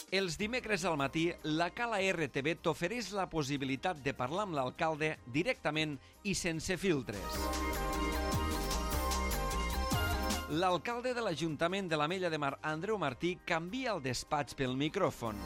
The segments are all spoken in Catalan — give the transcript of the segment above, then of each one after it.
Els dimecres al matí, la Cala RTV t'ofereix la possibilitat de parlar amb l'alcalde directament i sense filtres. L'alcalde de l'Ajuntament de l'Ametlla de Mar, Andreu Martí, canvia el despatx pel micròfon.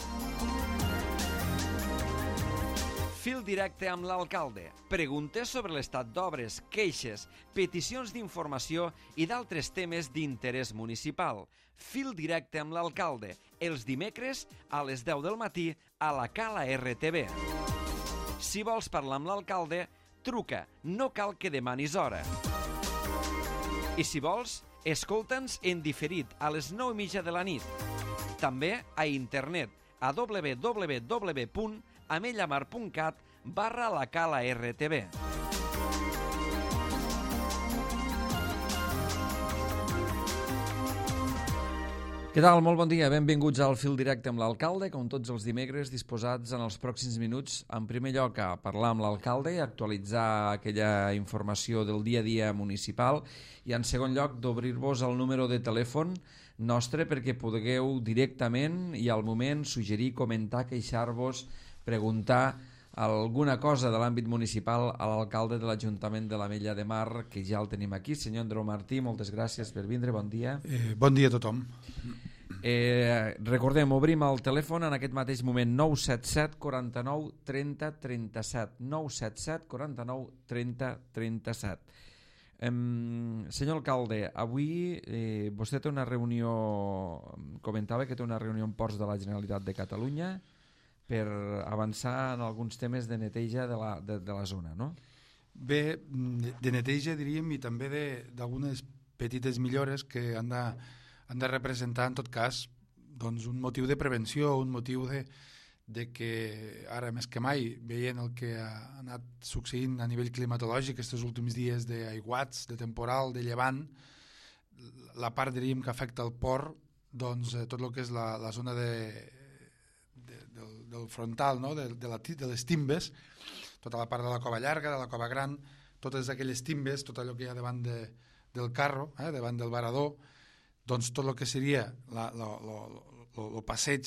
Fil directe amb l'alcalde. Preguntes sobre l'estat d'obres, queixes, peticions d'informació i d'altres temes d'interès municipal. Fil directe amb l'alcalde. Els dimecres a les 10 del matí a la Cala RTV. Si vols parlar amb l'alcalde, truca. No cal que demanis hora. I si vols, escolta'ns en diferit a les 9:30 de la nit. També a internet a www.amellamar.cat/la Cala RTV. Què tal? Molt bon dia. Benvinguts al Fil Directe amb l'alcalde, com tots els dimecres, disposats en els pròxims minuts, en primer lloc, a parlar amb l'alcalde, a actualitzar aquella informació del dia a dia municipal i, en segon lloc, d'obrir-vos el número de telèfon nostre perquè pugueu directament i al moment suggerir, comentar, queixar-vos, preguntar alguna cosa de l'àmbit municipal a l'alcalde de l'Ajuntament de l'Ametlla de Mar, que ja el tenim aquí. Senyor Andreu Martí, moltes gràcies per vindre, bon dia. Bon dia a tothom. Recordem, obrim el telèfon en aquest mateix moment, 977 49 30 37, 977 49 30 37. Senyor alcalde, avui vostè té una reunió, comentava que té una reunió en Ports de la Generalitat de Catalunya per avançar en alguns temes de neteja de la zona, no? Bé, de neteja diríem i també d'algunes petites millores que han de representar en tot cas doncs, un motiu de prevenció, un motiu de que ara més que mai, veient el que ha anat succeint a nivell climatològic aquests últims dies d'aiguats, de temporal, de llevant, la part diríem que afecta el port, doncs tot el que és la zona del frontal, no? de les timbes, tota la part de la cova llarga, de la cova gran, totes aquelles timbes, tot allò que hi ha davant del carro, davant del varador, doncs tot el que seria el passeig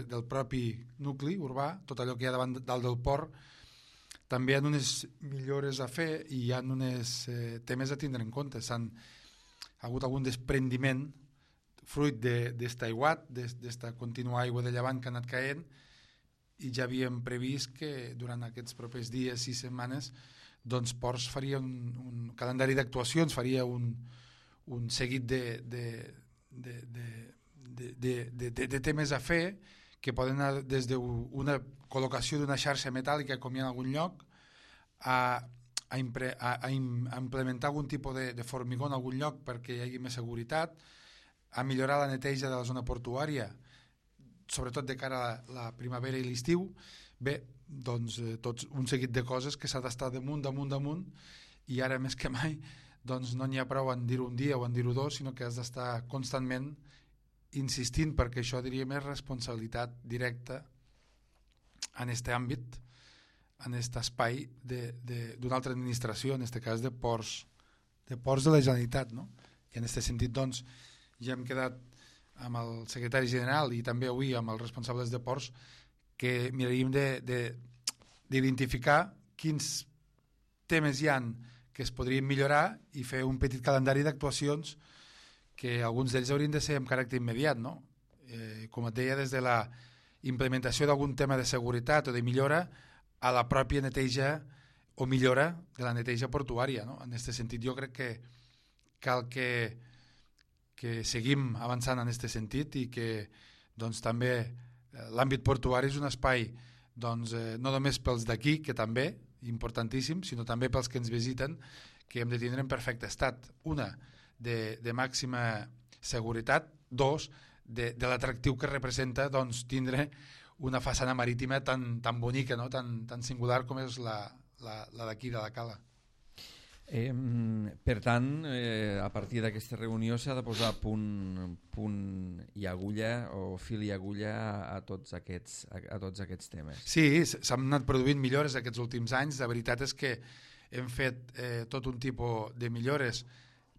del propi nucli urbà, tot allò que hi ha dalt del port, també hi ha unes millores a fer i hi ha uns temes a tindre en compte. Ha hagut algun desprendiment fruit d'esta aiguat, d'esta contínua aigua de llevant que ha anat caent, i ja havíem previst que durant aquests propers dies, 6 setmanes, doncs Ports faria un calendari d'actuacions, faria un seguit de temes a fer que poden anar des d'una col·locació d'una xarxa metàl·lica com hi ha en algun lloc a implementar algun tipus de formigó en algun lloc perquè hi hagi més seguretat, a millorar la neteja de la zona portuària, sobretot de cara a la primavera i l'estiu. Bé, doncs tot un seguit de coses que s'ha d'estar damunt, i ara més que mai doncs no n'hi ha prou en dir-ho un dia o en dir-ho dos, sinó que has d'estar constantment insistint, perquè això diríem és responsabilitat directa en aquest àmbit, en aquest espai d'una altra administració, en aquest cas de Ports de la Generalitat, no? I en aquest sentit doncs ja hem quedat amb el secretari general i també avui amb els responsables de Ports que miraríem d'identificar quins temes hi han que es podrien millorar i fer un petit calendari d'actuacions que alguns d'ells haurien de ser amb caràcter immediat, no? Com et deia, des de la implementació d'algun tema de seguretat o de millora a la pròpia neteja o millora de la neteja portuària, no? En aquest sentit jo crec que cal que seguim avançant en aquest sentit i que doncs, també l'àmbit portuari és un espai doncs, no només pels d'aquí, que també importantíssim, sinó també pels que ens visiten, que hem de tindre en perfecte estat. Una, de màxima seguretat. Dos, de l'atractiu que representa doncs, tindre una façana marítima tan bonica, no? tan singular com és la d'aquí, de la Cala. Per tant, a partir d'aquesta reunió s'ha de posar punt i agulla o fil i agulla a tots aquests temes. Sí, s'han anat produint millores aquests últims anys. La veritat és que hem fet tot un tipus de millores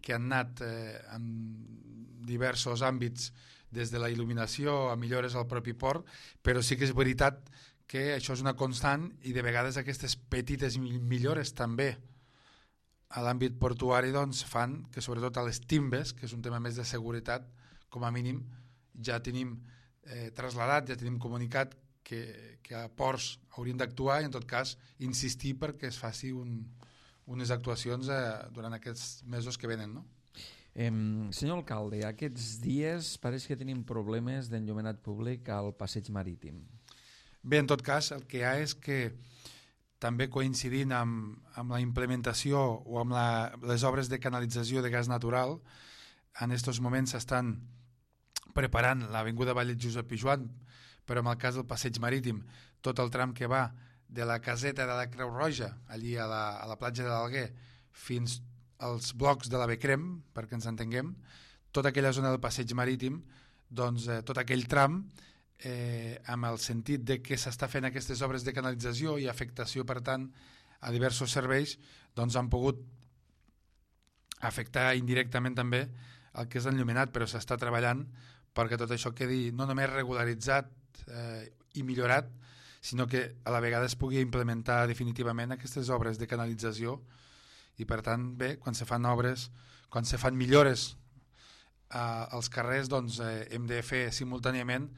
que han anat en diversos àmbits des de la il·luminació a millores al propi port, però sí que és veritat que això és una constant i de vegades aquestes petites millores també a l'àmbit portuari doncs, fan que sobretot a les timbes, que és un tema més de seguretat, com a mínim ja tenim trasladat, ja tenim comunicat que a ports haurien d'actuar i en tot cas insistir perquè es faci unes actuacions durant aquests mesos que venen, no? Senyor alcalde, aquests dies pareix que tenim problemes d'enllumenat públic al passeig marítim. Bé, en tot cas, el que hi ha és que també coincidint amb la implementació o amb les obres de canalització de gas natural, en aquests moments s'estan preparant l'avinguda Vall Josep Pijoan, però en el cas del passeig marítim, tot el tram que va de la caseta de la Creu Roja, allí a la platja de l'Alguer, fins als blocs de la Becrem, perquè ens entenguem, tota aquella zona del passeig marítim, doncs tot aquell tram, amb el sentit de que s'està fent aquestes obres de canalització i afectació, per tant, a diversos serveis, doncs han pogut afectar indirectament també el que és l'enllumenat, però s'està treballant perquè tot això quedi no només regularitzat i millorat, sinó que a la vegada es pugui implementar definitivament aquestes obres de canalització i per tant, bé, quan se fan obres, quan se fan millores als carrers, doncs hem de fer simultàniament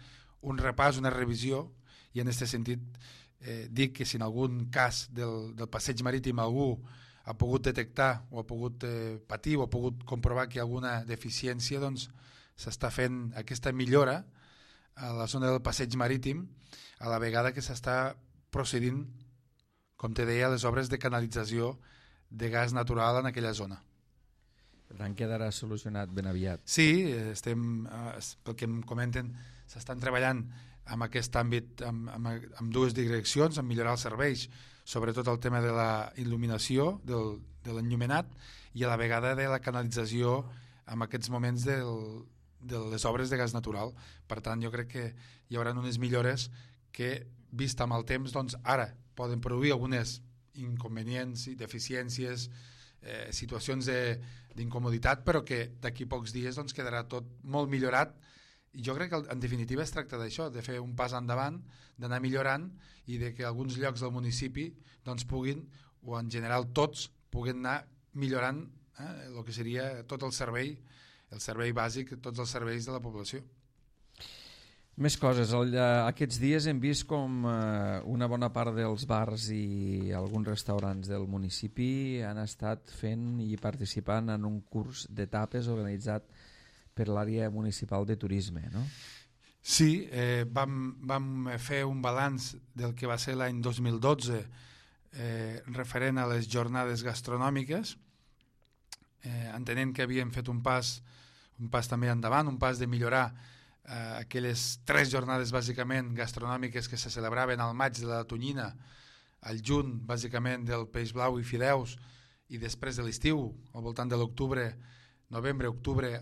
un repàs, una revisió i en aquest sentit dic que si en algun cas del passeig marítim algú ha pogut detectar o ha pogut patir o ha pogut comprovar que hi ha alguna deficiència, doncs s'està fent aquesta millora a la zona del passeig marítim a la vegada que s'està procedint, com te deia, a les obres de canalització de gas natural en aquella zona. Per tant, quedarà solucionat ben aviat. Sí, pel que em comenten, s'estan treballant en aquest àmbit amb dues direccions, en millorar els serveis, sobretot el tema de la il·luminació, de l'enllumenat, i a la vegada de la canalització en aquests moments de les obres de gas natural. Per tant, jo crec que hi haurà unes millores que, vist amb el temps, doncs ara poden produir algunes inconvenients i deficiències, situacions d'incomoditat, però que d'aquí pocs dies doncs, quedarà tot molt millorat. I jo crec que en definitiva es tracta d'això, de fer un pas endavant, d'anar millorant i de que alguns llocs del municipi doncs, puguin, o en general tots, puguin anar millorant el que seria tot el servei bàsic, tots els serveis de la població. Més coses. Aquests dies hem vist com una bona part dels bars i alguns restaurants del municipi han estat fent i participant en un curs de tapes organitzat per l'àrea municipal de turisme, no? Sí, vam fer un balanç del que va ser l'any 2012 referent a les jornades gastronòmiques, entenent que havíem fet un pas també endavant, un pas de millorar aquelles 3 jornades bàsicament gastronòmiques que se celebraven al maig de la tonyina, al juny bàsicament del peix blau i fideus i després de l'estiu, al voltant de l'octubre, novembre-octubre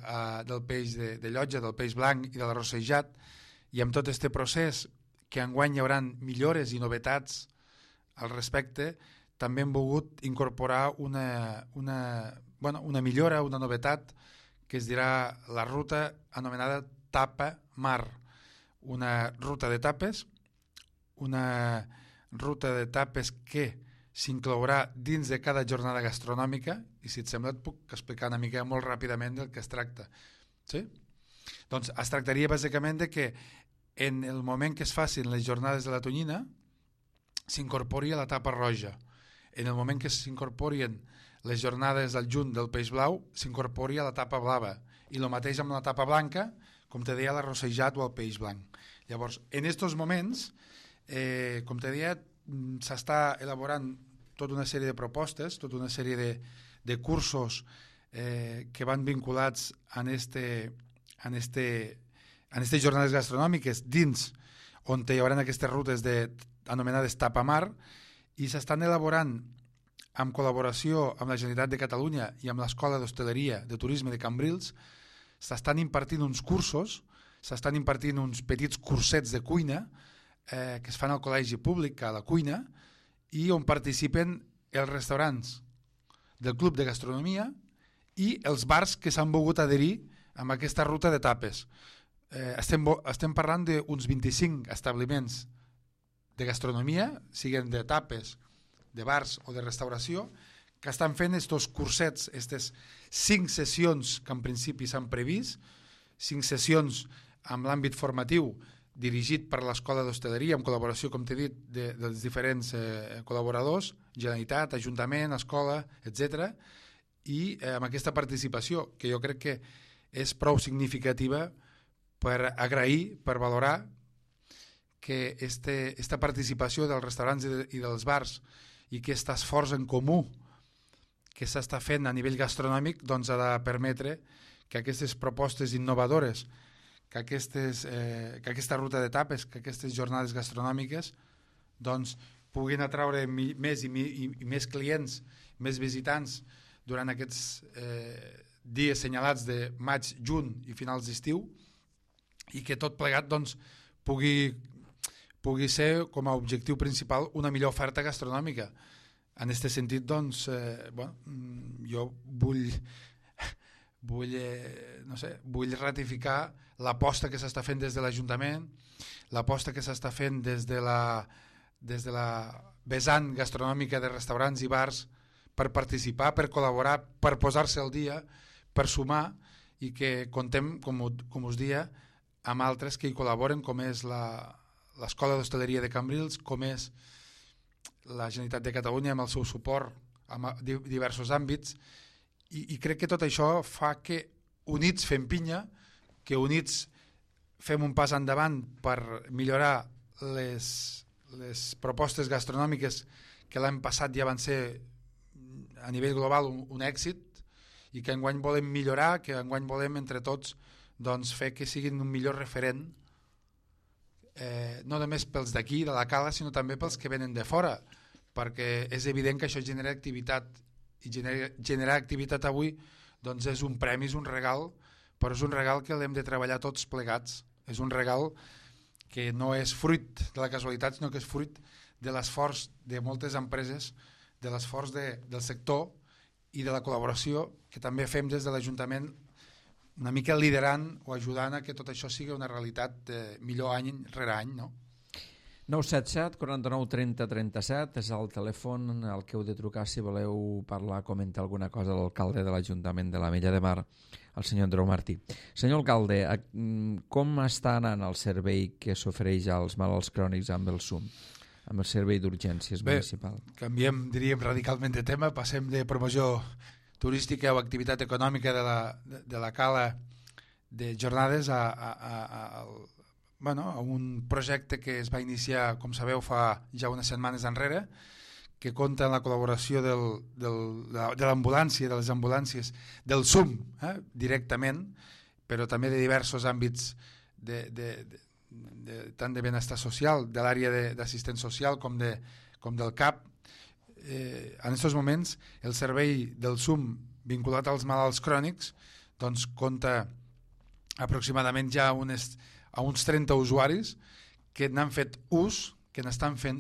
del peix de llotja, del peix blanc i de l'arrossejat, i amb tot aquest procés que enguany hi haurà millores i novetats al respecte, també hem volgut incorporar una millora, una novetat que es dirà la ruta anomenada Tapa Mar, una ruta de tapes que s'inclourà dins de cada jornada gastronòmica i si et sembla et puc explicar una mica molt ràpidament del que es tracta. Sí? Doncs es tractaria bàsicament de que en el moment que es facin les jornades de la tonyina s'incorpori a la tapa roja. En el moment que s'incorporien les jornades del juny del peix blau s'incorpori a la tapa blava i el mateix amb la tapa blanca, com te deia, l'arrossejat o el peix blanc. Llavors, en aquests moments, com te deia, s'està elaborant tota una sèrie de propostes, tota una sèrie de cursos que van vinculats a aquestes jornades gastronòmiques dins on hi haurà aquestes rutes anomenades Tapamar i s'estan elaborant en col·laboració amb la Generalitat de Catalunya i amb l'Escola d'Hostaleria de Turisme de Cambrils. S'estan impartint uns cursos, s'estan impartint uns petits cursets de cuina que es fan al col·legi públic, a la cuina, i on participen els restaurants del Club de Gastronomia i els bars que s'han volgut adherir amb aquesta ruta de tapes. estem parlant d'uns 25 establiments de gastronomia, siguin de tapes, de bars o de restauració, que estan fent estos cursets, aquestes 5 sessions que en principi s'han previst, 5 sessions amb l'àmbit formatiu dirigit per l'Escola d'Hostaleria en col·laboració, com t'he dit, dels diferents col·laboradors, Generalitat, Ajuntament, Escola, etc. I amb aquesta participació, que jo crec que és prou significativa per agrair, per valorar que esta participació dels restaurants i dels bars i aquest esforç en comú que s'està fent a nivell gastronòmic doncs ha de permetre que aquestes propostes innovadores, que aquesta ruta d'etapes, que aquestes jornades gastronòmiques doncs puguin atraure més i més clients, més visitants durant aquests dies assenyalats de maig, juny i finals d'estiu, i que tot plegat doncs, pugui ser com a objectiu principal una millor oferta gastronòmica. En aquest sentit, doncs, jo vull ratificar l'aposta que s'està fent des de l'Ajuntament, l'aposta que s'està fent des de la vessant gastronòmica de restaurants i bars per participar, per col·laborar, per posar-se al dia, per sumar, i que contem, com us dia, amb altres que hi col·laboren, com és l'Escola d'Hostaleria de Cambrils, com és la Generalitat de Catalunya amb el seu suport en diversos àmbits, i crec que tot això fa que units fem pinya, que units fem un pas endavant per millorar les propostes gastronòmiques que l'any passat ja van ser a nivell global un èxit, i que enguany volem millorar, que enguany volem entre tots doncs, fer que siguin un millor referent, no només pels d'aquí, de la Cala, sinó també pels que venen de fora, perquè és evident que això genera activitat, i generar activitat avui doncs és un premi, és un regal, però és un regal que l'hem de treballar tots plegats, és un regal que no és fruit de la casualitat, sinó que és fruit de l'esforç de moltes empreses, de l'esforç del sector i de la col·laboració que també fem des de l'Ajuntament, una mica liderant o ajudant a que tot això sigui una realitat millor any rere any, no? 977 49 30 37 és el telèfon al que heu de trucar si voleu parlar, comentar alguna cosa a l'alcalde de l'Ajuntament de l'Ametlla de Mar, el senyor Andreu Martí. Senyor alcalde, com està anant el servei que s'ofereix als malalts crònics amb el SUM, amb el servei d'urgències municipal? Canviem, diríem, radicalment de tema, passem de promoció turística o activitat econòmica de la Cala de jornades a un projecte que es va iniciar, com sabeu, fa ja unes setmanes enrere, que compta amb la col·laboració de l'ambulància, de les ambulàncies, del SUM, directament, però també de diversos àmbits tant de benestar social, de l'àrea d'assistent social com del CAP. En aquests moments el servei del SUM vinculat als malalts crònics doncs compta aproximadament ja a uns 30 usuaris que n'han fet ús, que n'estan fent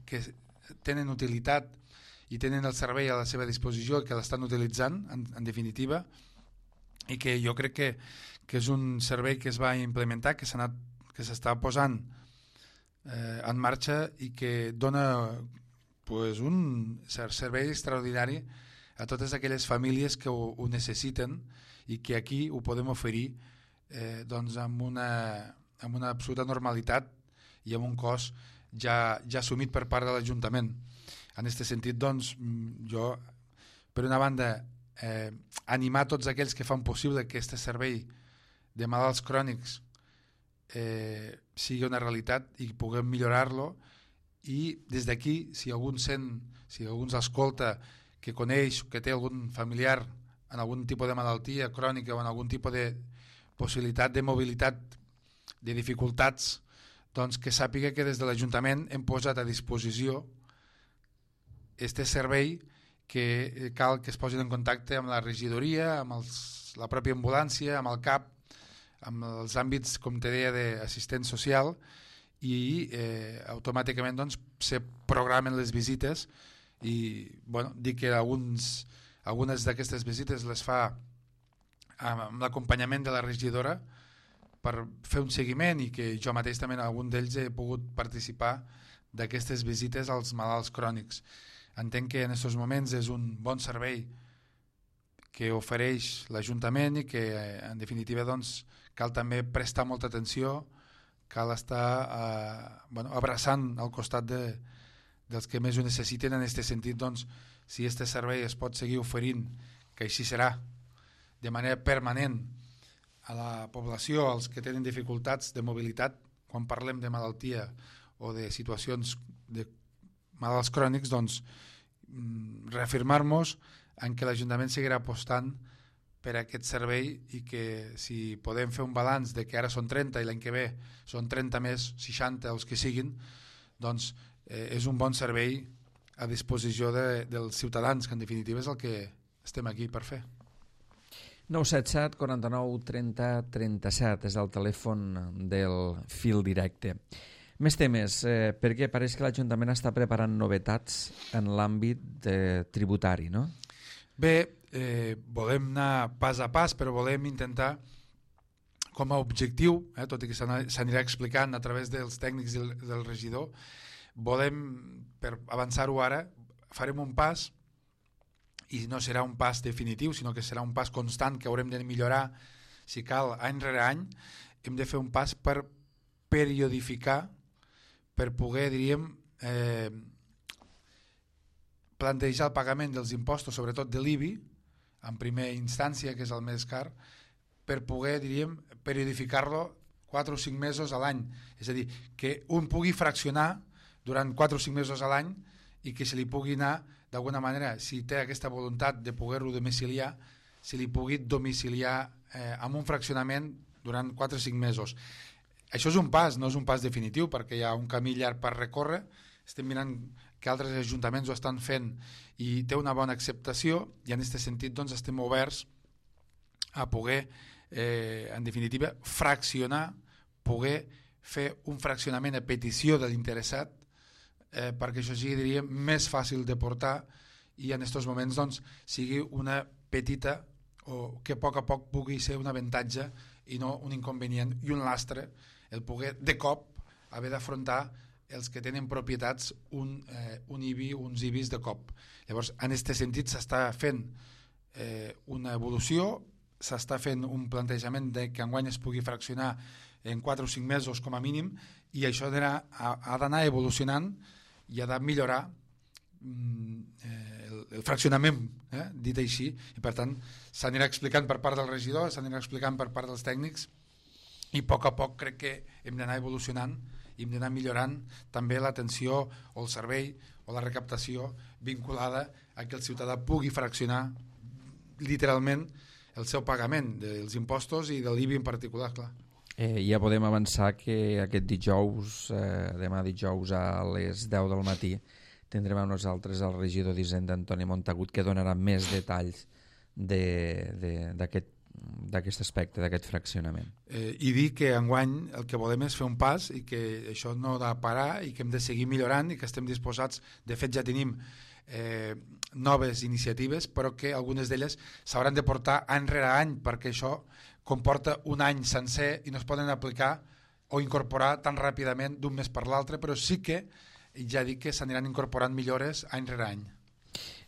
que tenen utilitat i tenen el servei a la seva disposició i que l'estan utilitzant en definitiva, i que jo crec que és un servei que es va implementar, que s'està posant en marxa i que dona un servei extraordinari a totes aquelles famílies que ho necessiten i que aquí ho podem oferir amb una absoluta normalitat i amb un cost ja assumit per part de l'Ajuntament. En aquest sentit, doncs, jo, per una banda, animar tots aquells que fan possible que aquest servei de malalts crònics sigui una realitat i puguem millorar-lo, i des d'aquí, si algú ens escolta, que coneix, que té algun familiar en algun tipus de malaltia crònica o en algun tipus de possibilitat de mobilitat, de dificultats, doncs que sàpiga que des de l'Ajuntament hem posat a disposició aquest servei, que cal que es posin en contacte amb la regidoria, amb la pròpia ambulància, amb el CAP, amb els àmbits, com te deia, d'assistent social, i automàticament doncs, se programen les visites i dic que algunes d'aquestes visites les fa amb l'acompanyament de la regidora per fer un seguiment, i que jo mateix també en algun d'ells he pogut participar d'aquestes visites als malalts crònics. Entenc que en aquests moments és un bon servei que ofereix l'Ajuntament i que en definitiva doncs, cal també prestar molta atenció, cal estar abraçant al costat dels que més ho necessiten. En aquest sentit, doncs, si aquest servei es pot seguir oferint, que així serà, de manera permanent a la població, als que tenen dificultats de mobilitat, quan parlem de malaltia o de situacions de malalts crònics, doncs reafirmar-nos en què l'Ajuntament seguirà apostant per aquest servei, i que si podem fer un balanç de que ara són 30 i l'any que ve són 30 més, 60 els que siguin, doncs és un bon servei a disposició dels ciutadans, que en definitiva és el que estem aquí per fer. 977 49 30 37 és el telèfon del fil directe. Més temes, perquè pareix que l'Ajuntament està preparant novetats en l'àmbit tributari, no? Bé, volem anar pas a pas, però volem intentar, com a objectiu, tot i que s'anirà explicant a través dels tècnics del regidor, volem, per avançar-ho ara, farem un pas, i no serà un pas definitiu, sinó que serà un pas constant que haurem de millorar, si cal, any rere any. Hem de fer un pas per periodificar, per poder, diríem, plantejar el pagament dels impostos, sobretot de l'IBI, en primera instància, que és el més car, per poder, diríem, periodificar-lo 4 o 5 mesos a l'any. És a dir, que un pugui fraccionar durant 4 o 5 mesos a l'any, i que se li pugui anar, d'alguna manera, si té aquesta voluntat de poder-lo domiciliar, se li pugui domiciliar amb un fraccionament durant 4 o 5 mesos. Això és un pas, no és un pas definitiu, perquè hi ha un camí llarg per recórrer. Estem mirant que altres ajuntaments ho estan fent i té una bona acceptació, i en aquest sentit doncs, estem oberts a poder, en definitiva, fraccionar, poder fer un fraccionament a petició de l'interessat, perquè això sigui, diríem, més fàcil de portar, i en aquests moments doncs, sigui una petita, o que a poc pugui ser un avantatge i no un inconvenient i un lastre, el poder de cop haver d'afrontar els que tenen propietats un IBI, uns IBIs de cop. Llavors, en aquest sentit s'està fent una evolució, s'està fent un plantejament de que enguany es pugui fraccionar en 4 o 5 mesos com a mínim, i això ha d'anar evolucionant i ha de millorar el fraccionament, dit així, i per tant s'anirà explicant per part del regidor, s'anirà explicant per part dels tècnics, i a poc crec que hem d'anar evolucionant i hem d'anar millorant també l'atenció o el servei o la recaptació vinculada a que el ciutadà pugui fraccionar literalment el seu pagament dels impostos i de l'IBI en particular, clar. Ja podem avançar que aquest dijous, demà dijous a les 10 del matí, tindrem amb nosaltres el regidor d'Hisenda, Antoni Montagut, que donarà més detalls d'aquest aspecte, d'aquest fraccionament. I dir que enguany el que volem és fer un pas, i que això no ha de parar, i que hem de seguir millorant, i que estem disposats, de fet ja tenim noves iniciatives, però que algunes d'elles s'hauran de portar any rere any, perquè això comporta un any sencer i no es poden aplicar o incorporar tan ràpidament d'un mes per l'altre, però sí que ja dic que s'aniran incorporant millores any rere any.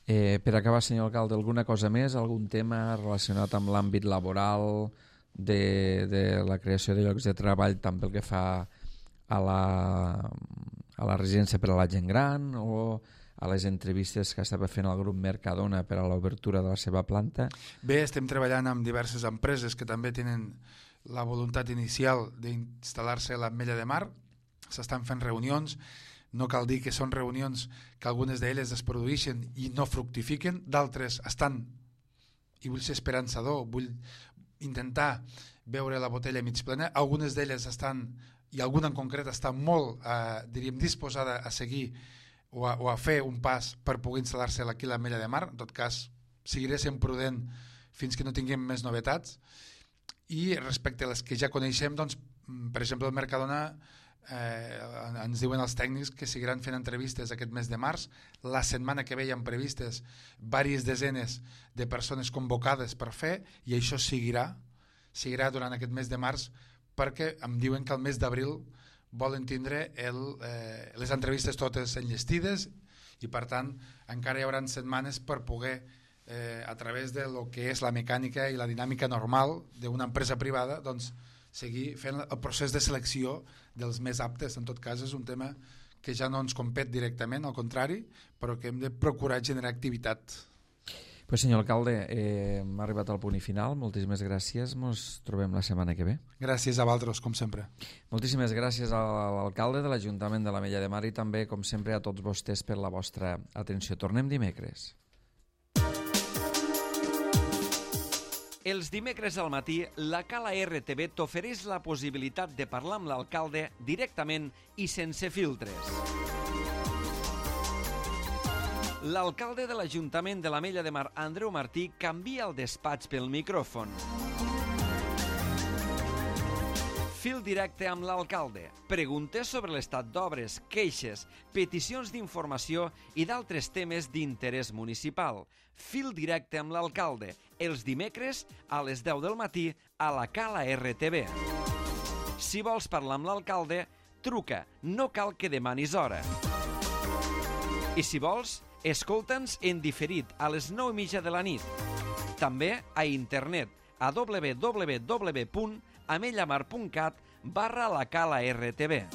Per acabar, senyor alcalde, alguna cosa més? Algun tema relacionat amb l'àmbit laboral, de la creació de llocs de treball, tant pel que fa a la residència per a la gent gran, o a les entrevistes que estava fent el grup Mercadona per a l'obertura de la seva planta? Bé, estem treballant amb diverses empreses que també tenen la voluntat inicial d'instal·lar-se a l'Ametlla de Mar. S'estan fent reunions. No cal dir que són reunions que algunes d'elles es produeixen i no fructifiquen, d'altres estan, i vull ser esperançador, vull intentar veure la botella mig plena. Algunes d'elles estan, i alguna en concret està molt, diríem, disposada a seguir o a fer un pas per poder instal·lar-se aquí a l'Ametlla de Mar. En tot cas, seguiré sent prudent fins que no tinguem més novetats. I respecte a les que ja coneixem, doncs, per exemple, el Mercadona, ens diuen els tècnics que seguiran fent entrevistes aquest mes de març. La setmana que ve hi ha previstes diverses desenes de persones convocades per fer, i això seguirà durant aquest mes de març perquè em diuen que al mes d'abril volen tindre les entrevistes totes enllestides i per tant encara hi haurà setmanes per poder a través de lo que és la mecànica i la dinàmica normal d'una empresa privada doncs seguir fent el procés de selecció dels més aptes. En tot cas és un tema que ja no ens compet directament, al contrari, però que hem de procurar generar activitat. Pues senyor alcalde, hem arribat al punt i final. Moltíssimes gràcies. Ens trobem la setmana que ve. Gràcies a vosaltres, com sempre. Moltíssimes gràcies a l'alcalde de l'Ajuntament de l'Ametlla de Mar i també, com sempre, a tots vostès per la vostra atenció. Tornem dimecres. Els dimecres al matí, la Cala RTV t'ofereix la possibilitat de parlar amb l'alcalde directament i sense filtres. L'alcalde de l'Ajuntament de l'Ametlla de Mar, Andreu Martí, canvia el despatx pel micròfon. Fil directe amb l'alcalde. Preguntes sobre l'estat d'obres, queixes, peticions d'informació i d'altres temes d'interès municipal. Fil directe amb l'alcalde. Els dimecres a les 10 del matí a la Cala RTV. Si vols parlar amb l'alcalde, truca. No cal que demanis hora. I si vols, escolta'ns en diferit a les 9:30 de la nit. També a internet a www.amellamar.cat/la Cala RTV.